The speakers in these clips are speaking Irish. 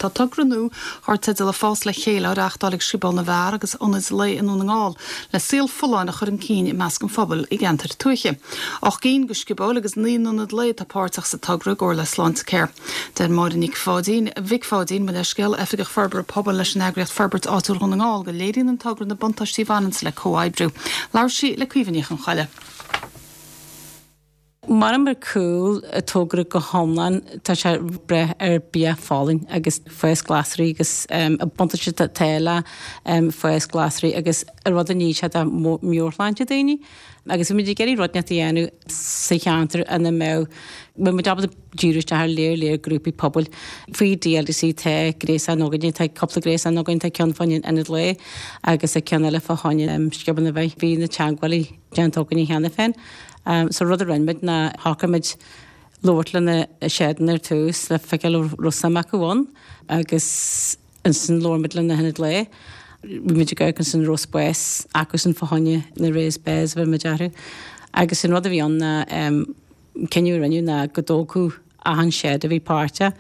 Tá togra nua dar teideal Ag Fás le Chéile á reáchtáil ag Scioból na bhFear agus Ionaid Lae i nDún na nGall le saol folláin a chur chun cinn i measc an phobail i gceantair tuaithe. 8 gcinn de sciobóil agus 9 n-ionad lae atá páirteach sa togra i gcomhar le Sláintecare. Deir Máire Nic Pháidín, Mhic Pháidín, mo leithscéal, Oifigeach Forbartha Pobail leis an eagraíocht Forbairt Áitiúil Dhún na nGall go léiríonn an togra na buntáistí a bhaineanns le comhoibriú. Labhair sí le Caoimhe Ní Chonchoille. Maram ar cúl an togra go hiomlán, tá sé ag brath ar bia folláin agus fás glasraí agus an buntáiste atá le fás glasraí agus an rud a ní sé do meabhairshláinte daoine. Agus bhí muid ag iarraidh rud inteacht a dhéanamh sa cheantar ina mbeadh, mbeadh muid ábalta díriú isteach ar léar léar grúpaí pobail. Faoi DLDC tá gréasán againne, tá cúpla gréasán againn, tá ceann fá choinne an Ionad Lae agus tá ceann eile fá choinne Sciobóil na bhFear. Bhí na teagmhálaí déanta againne cheana féin. So rud a rinne muid ná shocraigh muid labhairt le na seideanna ar tús le feiceáil an raibh suim acu ann agus ansin labhair muid le na hionaid lae. Bhí muid ag amharc ansin an raibh spás acusan fá choinne na raised beds a bhí muid orthu. Agus an rud a bhí ann ná cinneadh a rinneadh ná go dtógfadh achan shed a bhí páirteach,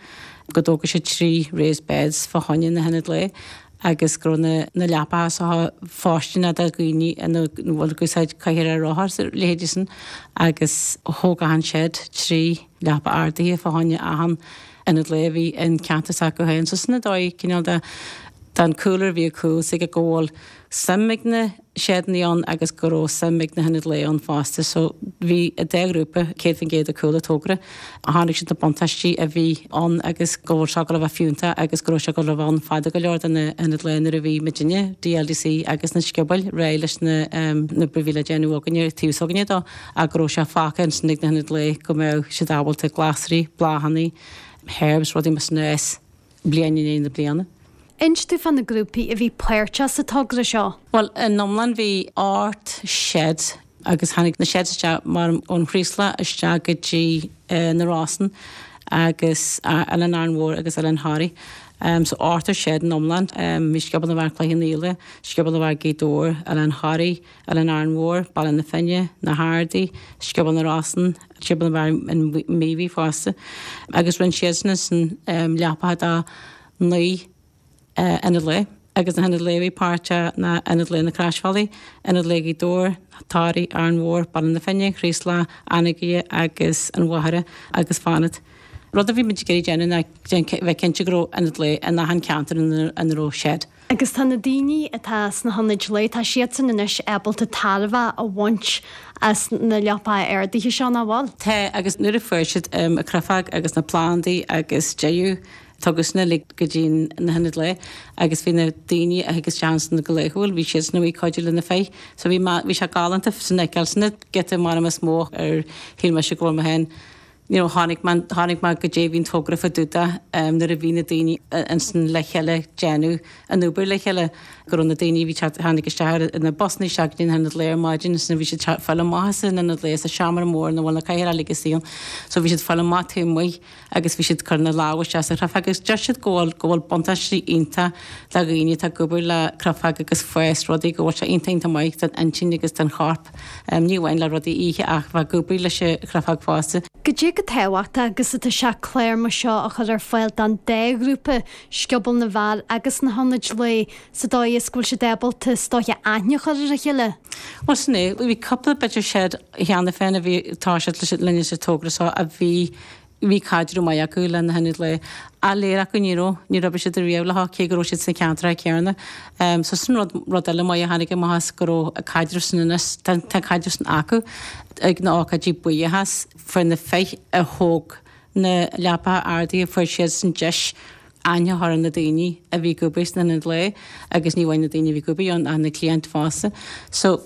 go dtógfadh siad 3 raised beds fá choinne na hionaid lae agus go raibh na na leapacha seo fóirsteanach do dhaoine ina bhfuil ag úsáid cathaoir ar rothar is a leithéidí sin agus thóg achan shed 3 leapa ardaithe fá choinne achan ionad lae a bhí in ceantar s'acu féin. So sin an dóigh cineál de den cúlra a bhí ag cúl 's aige go bhfuil suim ag na seideanna ann agus go raibh suim ag na hionaid lae ann fosta. So bhí an dá ghrúpa 100% ag cúl an togra. Chonaic siad na buntáistí a bhí ann agus go bhfuil sé ag dul a bheith fiúntach agus go raibh sé ag dul a bheith ann fada go leor do na hionaid lae nuair a bhí muidinne, DLDC agus na sciobóil réidh leis na na obair a bhí le déanamh againne taobh s'againne dó ach go raibh sé fágtha ansin ag na hionaid lae go mbeadh siad ábalta glasraí, bláthanna, herbs, rudaí mar sin a fhás. bliain i ndiaidh na bliana. Inis dúinn fá na grúpaí a bhí páirteach sa togra seo. Bhuel, in iomlán bhí 8 shed agus tháinig na sheds isteach mar ón Chraoslach isteach go dtí na Rosann agus Oileán Árainn Mhór agus Oileán Thoraí. So ochtar shed in iomlán. Bhí Scioból na bhFear Cloich Cheann Fhaola, Scioból na bhFear Gaoth Dobhair, Oileán Thoraí, Oileán Árainn Mhór, Baile na Finne, Na hArdaí, Scioból na Rosann, Scioból na bhFear an Mhíobhaigh fosta agus rinne siadsan ansin leapacha do 9 ionad lae agus na hionaid lae a bhí páirteach ná Ionad Lae na Croisbhealaí, Ionad Lae Ghaoth Dobhair, Toraigh, Árainn Mhór, Baile na Finne, Chraoslach, Anagaire agus an Mhachaire agus Fánaid. Rud a bhí muid ag iarraidh déanamh ná bheith cinnte go raibh ionad lae in achan ceantar ina raibh shed. Agus tá na daoine atá sna hionaid lae, tá siadsan anois ábalta tairbhe a bhaint as na leapacha ardaithe seo, nach bhfuil? Tá, agus nuair a fuair siad an chreafóg agus na plandaí agus deireadh, tugadh sin uilig go dtí na hionaid lae agus bhí na daoine a thig isteach ansin go laethúil, bhí siadsan amuigh ag cuidiú le na fir. So bhí, bhí sé galánta sin a fheiceáil, sin an giota maram is mó ar shíl mise go bhfuil mé féin you know chonaic mé, chonaic mé goidé a bhí an togra fá dtaobh de nuair a bhí na daoine ansin le chéile ag déanamh an obair le chéile, go raibh na daoine a bhí teacht, tháinig isteach ar na busanna isteach go dtí an t-ionad lae ar maidin ansin bhí siad ag fáil amach as an ionad lae sa seomra mór ina bhfuil na cathaoireacha uilig istigh ann so bhí siad ag fáil amach taobh amuigh agus bhí siad ag cur na lámha isteach sa chreafóg agus deir siad go bhfuil, go bhfuil buntáistí iontach do dhaoine atá ag obair le creafóg agus fás rudaí, go bhfuil sé iontach iontach maith don intinn agus don chorp. Ní amháin le rudaí a ithe ach bheith ag obair leis an chreafóg fosta. Goidé chomh tábhachtach agus atá sé clár mar seo a chur ar fáil don dá ghrúpa, Scioból na bhFear agus na hIonaid Lae, sa dóigh is go bhfuil siad ábalta is dóiche aithne a chur ar a chéile? Bhuel sin é, bhí cúpla b'fhéidir shed cheana féin a bhí ag toiseacht linne sa togra seo a bhí Bhí caidreamh maith acu le na hionaid lae. Ach léir acu ní raibh, níor oibrigh siad riamh leo cé go raibh siad sna ceantracha céanna. So sin rud, rud eile maith a tháinig amach as go raibh an caidreamh sin anois, tá an caidreamh sin acu ag na ócáidí buíochas fuair na fir a thóg na leapacha ardaithe, fuair siadsan deis aithne a chur ar na daoine a bhí ag obair sna hionaid lae agus ní amháin na daoine a bhí ag obair ann ach na cliaint fosta. So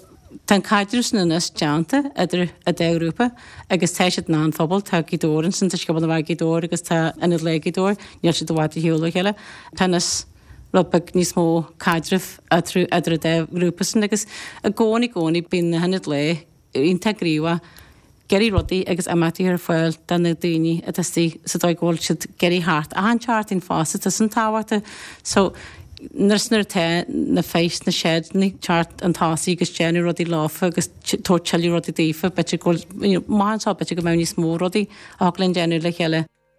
tá an caidreamh sin anois déanta idir an dá ghrúpa agus tá siad in achan phobal, tá Gaoth Dobhair ansin, tá Scioból na bhFear Gaoth Dobhair agus tá Ionad Lae Gaoth Dobhair, níl siad i bhfad ar shiúl ó chéile. Tá anois rud beag níos mó caidrimh eatarthu idir an dá ghrúpa sin agus i gcónaí, i gcónaí bíonn na hionaid lae iontach gníomhach, ag iarraidh rudaí agus imeachtaí ar fáil do na daoine atá istigh sa dóigh go bhfuil siad ag iarraidh theacht achan tseachtain fosta, tá sin tábhachtach. So nuair nuair atá na fir sna seideanna ag teacht chun tosaigh agus déanamh rudaí leofa agus tabhairt tuilleadh rudaí daofa, b'fhéidir go bhfuil, you know, maith anseo b'fhéidir go mbeadh níos mó rudaí a thig linn déanamh le chéile.